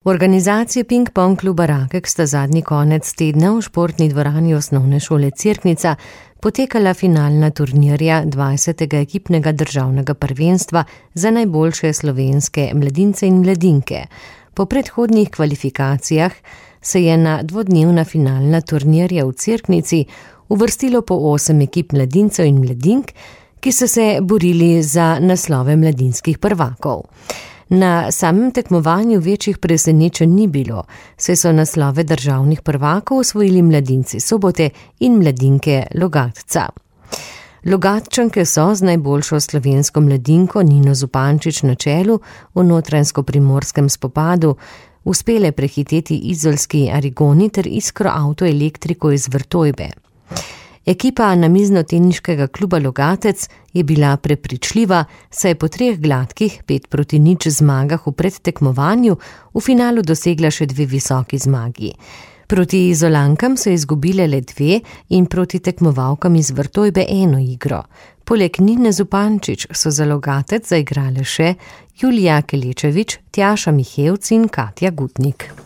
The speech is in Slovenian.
V organizaciji Ping-pong kluba Rakek sta zadnji konec tedna v športni dvorani osnovne šole Cerknica potekala finalna turnirja 20. ekipnega državnega prvenstva za najboljše slovenske mladince in mladinke. Po predhodnih kvalifikacijah se je na dvodnevna finalna turnirja v Cerknici uvrstilo po 8 ekip mladincev in mladink, ki so se borili za naslove mladinskih prvakov. Na samem tekmovanju večjih presenečenj ni bilo, saj so naslove državnih prvakov osvojili mladinci Sobote in mladinke Logatca. Logatčanke so z najboljšo slovensko mladinko Nino Zupančič na čelu v notranjsko-primorskem spopadu uspele prehiteti izolski Arigoni ter Iskro avtoelektriko iz Vrtojbe. Ekipa namiznoteniškega kluba Logatec je bila prepričljiva, saj je po 3 gladkih 5-0 zmagah v predtekmovanju v finalu dosegla še 2 visoki zmagi. Proti Izolankam so izgubile le 2 in proti tekmovalkam iz Vrtojbe 1 igro. Poleg Nine Zupančič so za Logatec zaigrale še Julija Kelečevič, Tjaša Mihevc in Katja Gutnik.